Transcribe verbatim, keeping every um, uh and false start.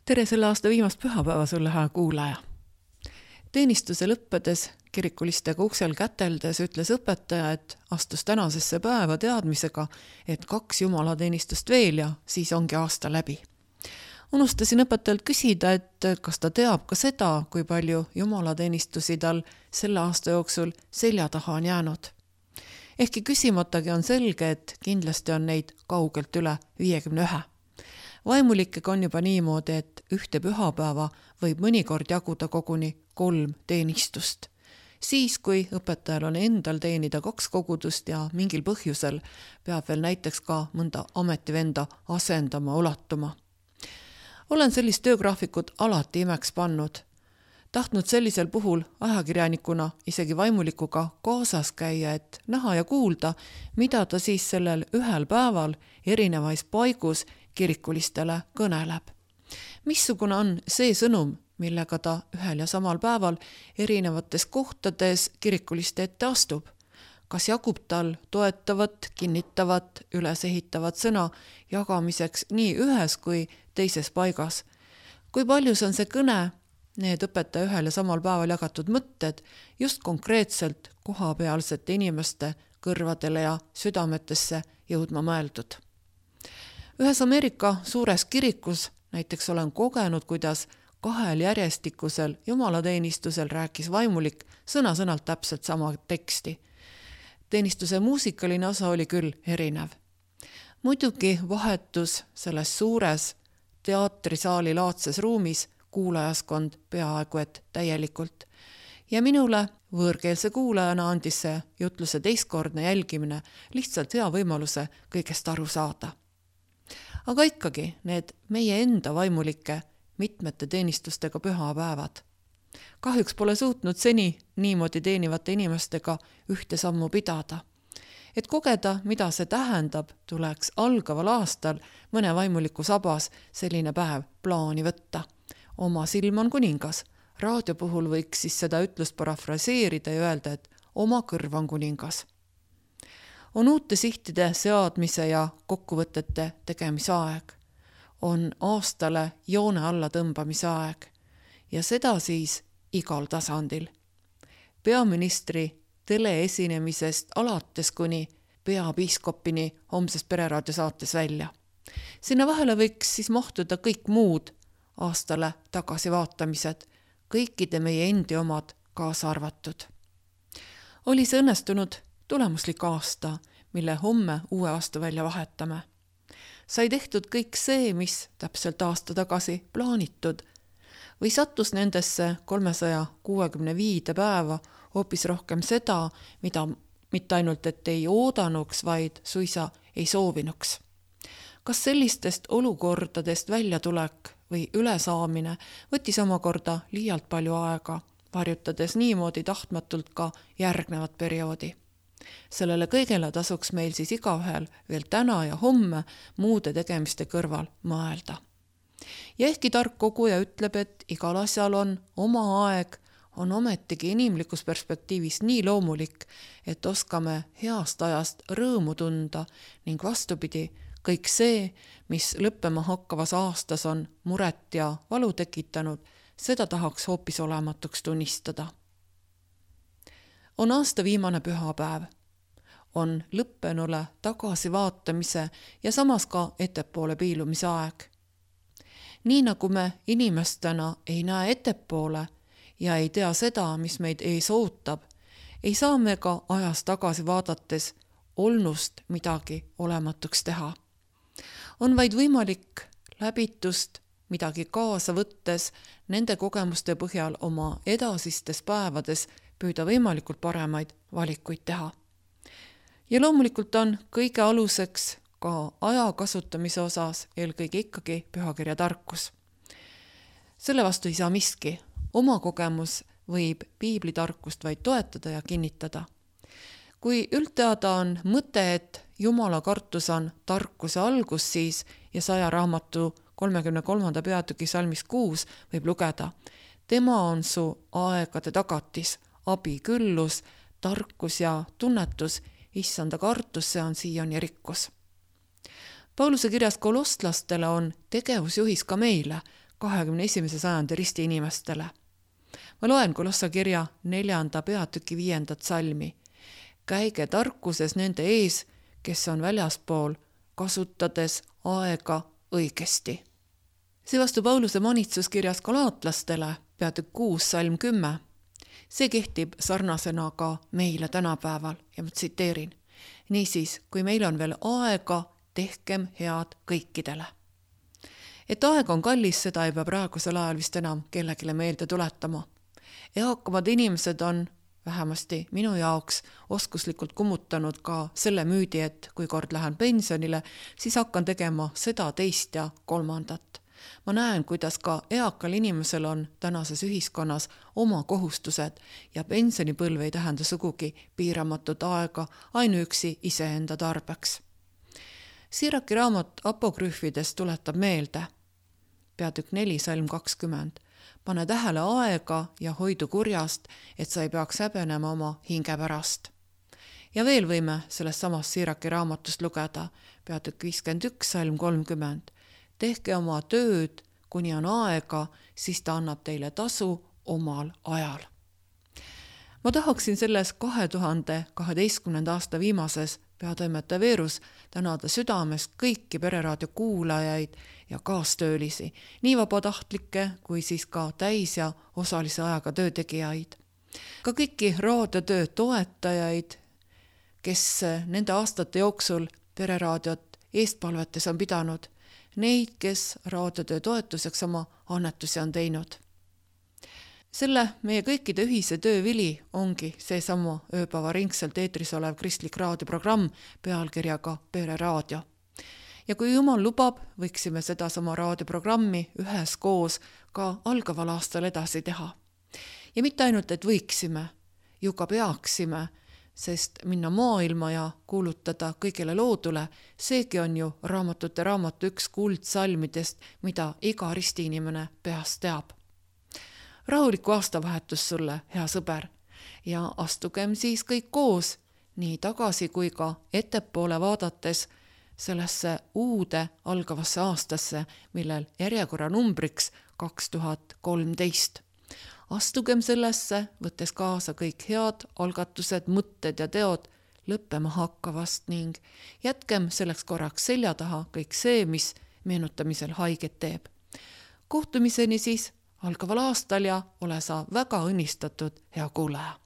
Tere selle aasta viimast pühapäeva sulle, hea kuulaja. Teenistuse lõppedes kirikulistega uksel käteldes ütles õpetaja, et astus tänasesse päeva teadmisega, et kaks jumalateenistust veel ja siis ongi aasta läbi. Unustasin õpetajalt küsida, et kas ta teab ka seda, kui palju jumalateenistusi tal selle aasta jooksul selja taha on jäänud. Ehkki küsimatagi on selge, et kindlasti on neid kaugelt üle viiekümne ühe. Vaimulikega on juba niimoodi, et ühte pühapäeva võib mõnikord jaguda koguni kolm teenistust. Siis, kui õpetajal on endal teenida kaks kogudust ja mingil põhjusel peab veel näiteks ka mõnda ametivenda asendama, ulatuma. Olen sellist töögraafikut alati imeks pannud. Tahtnud sellisel puhul ajakirjanikuna isegi vaimulikuga kaasas käia, et näha ja kuulda, mida ta siis sellel ühel päeval erinevais paigus kirikulistele kõneleb. Missugune on see sõnum, millega ta ühel ja samal päeval erinevates kohtades kirikuliste ette astub? Kas jagub tal toetavat, kinnitavat, ülesehitavat sõna jagamiseks nii ühes kui teises paigas? Kui paljus on see kõne, need õpetaja ühel ja samal päeval jagatud mõtted just konkreetselt kohapealsete inimeste kõrvadele ja südametesse jõudma mõeldud? Ühes Ameerika suures kirikus näiteks olen kogenud, kuidas kahel järjestikusel jumalateenistusel rääkis vaimulik sõna-sõnalt täpselt sama teksti. Teenistuse muusikaline osa oli küll erinev. Muidugi vahetus selles suures teatrisaali laadses ruumis kuulajaskond peaaegu et täielikult. Ja minule võõrkeelse kuulajana andis see jutluse teistkordne jälgimine lihtsalt hea võimaluse kõigest aru saada. Aga ikkagi need meie enda vaimulike mitmete teenistustega pühapäevad. Kahjuks pole suutnud seni niimoodi teenivate inimestega ühte sammu pidada. Et kogeda, mida see tähendab, tuleks algaval aastal mõne vaimuliku sabas selline päev plaani võtta. Oma silm on kuningas. Raadio puhul võiks siis seda ütlust parafraseerida ja öelda, et oma kõrv on kuningas. On uute sihtide seadmise ja kokkuvõtete tegemise aeg. On aastale joone alla tõmbamise aeg. Ja seda siis igal tasandil. Peaministri teleesinemisest alates kuni peapiiskopini homsest pereraadio saates välja. Sinna vahele võiks siis mahtuda kõik muud aastale tagasi vaatamised, kõikide meie endi omad kaasa arvatud. Oli see õnnestunud tulemuslik aasta, mille homme uue aasta välja vahetame. Sai tehtud kõik see, mis täpselt aasta tagasi plaanitud, või sattus nendesse kolmesaja kuuekümne viide päeva hoopis rohkem seda, mida mitte ainult et ei oodanuks, vaid suisa ei soovinuks. Kas sellistest olukordadest väljatulek või ülesaamine võttis omakorda liialt palju aega, varjutades niimoodi tahtmatult ka järgnevat perioodi? Sellele kõigele tasuks meil siis igaühel veel täna ja homme muude tegemiste kõrval mõelda. Ja ehkki tark koguja ütleb, et igal asjal on oma aeg, on ometigi inimlikus perspektiivis nii loomulik, et oskame heast ajast rõõmu tunda ning vastupidi, kõik see, mis lõppema hakkavas aastas on muret ja valu tekitanud, seda tahaks hoopis olematuks tunnistada. On aasta viimane pühapäev. On lõppenule tagasi vaatamise ja samas ka ettepoole piilumise aeg. Nii nagu me inimestena ei näe ettepoole ja ei tea seda, mis meid ees ootab, ei saa me ka ajas tagasi vaadates olnust midagi olematuks teha. On vaid võimalik läbitust midagi kaasa võttes nende kogemuste põhjal oma edasistes päevades püüda võimalikult paremaid valikuid teha. Ja loomulikult on kõige aluseks ka aja kasutamise osas eelkõige ikkagi pühakirja tarkus. Selle vastu ei saa miski. Oma kogemus võib piiblitarkust vaid toetada ja kinnitada. Kui üldteada on mõte, et Jumala kartus on tarkuse algus, siis ja saja raamatu kolmekümne kolmanda peatüki salmis kuus võib lugeda: tema on su aegade tagatis, abi küllus, tarkus ja tunnetus, issanda kartus, see on siiani rikkus. Pauluse kirjas kolostlastele on tegevusjuhis ka meile, kahekümne esimese sajandi risti inimestele. Ma loen Kolossa kirja neljanda peatüki viiendat salmi. Käige tarkuses nende ees, kes on väljaspool, kasutades aega õigesti. Seevastu Pauluse manitsuskirjas galaatlastele, peatükk kuus salm kümme. See kehtib sarnasena ka meile tänapäeval ja ma tsiteerin. Niisiis, kui meil on veel aega, tehkem head kõikidele. Et aeg on kallis, seda ei pea praegusel ajal vist enam kellegile meelde tuletama. Eakamad inimesed on vähemasti minu jaoks oskuslikult kummutanud ka selle müüdi, et kui kord lähen pensionile, siis hakkan tegema seda, teist ja kolmandat. Ma näen, kuidas ka eakal inimesel on tänases ühiskonnas oma kohustused ja pensionipõlv ei tähenda sugugi piiramatut aega ainuüksi iseenda tarbeks. Siraki raamat apokrüüfidest tuletab meelde, peatükk neli salm kakskümmend, pane tähele aega ja hoidu kurjast, et sa ei peaks häbenema oma hinge pärast. Ja veel võime sellest samast Siraki raamatust lugeda, peatükk viiskümmend üks salm kolmkümmend, tehke oma tööd, kuni on aega, siis ta annab teile tasu omal ajal. Ma tahaksin selles kahe tuhande kaheteistkümnenda aasta viimases peatoimetaja Veerus tänada südamest kõiki Pereraadio kuulajaid ja kaastöölisi, nii vabatahtlikke kui siis ka täis- ja osalise ajaga töötegijaid. Ka kõiki raadiotöö toetajaid, kes nende aastate jooksul Pereraadiot eestpalvetes on pidanud, neid, kes raadiotöö toetuseks oma annetusi on teinud. Selle meie kõikide ühise töö vili ongi see sama ööpäeva ringselt eetris olev kristlik raadioprogramm pealkirjaga Pereraadio. Ja kui Jumal lubab, võiksime seda sama raadioprogrammi üheskoos ka algaval aastal edasi teha. Ja mitte ainult, et võiksime, ju ka peaksime, sest minna maailma ja kuulutada kõigile loodule, seegi on ju raamatute raamatu üks kuldsalmidest, mida iga ristiinimene peast teab. Rahulikku aastavahetus sulle, hea sõber, ja astugem siis kõik koos, nii tagasi kui ka ettepoole vaadates sellesse uude algavasse aastasse, millel järjekorra numbriks kaks tuhat kolmteist. Astugem sellesse, võttes kaasa kõik head algatused, mõtted ja teod lõppema hakkavast ning jätkem selleks korraks selja taha kõik see, mis meenutamisel haiget teeb. Kohtumiseni siis algaval aastal ja ole sa väga õnnistatud, hea kuulaja!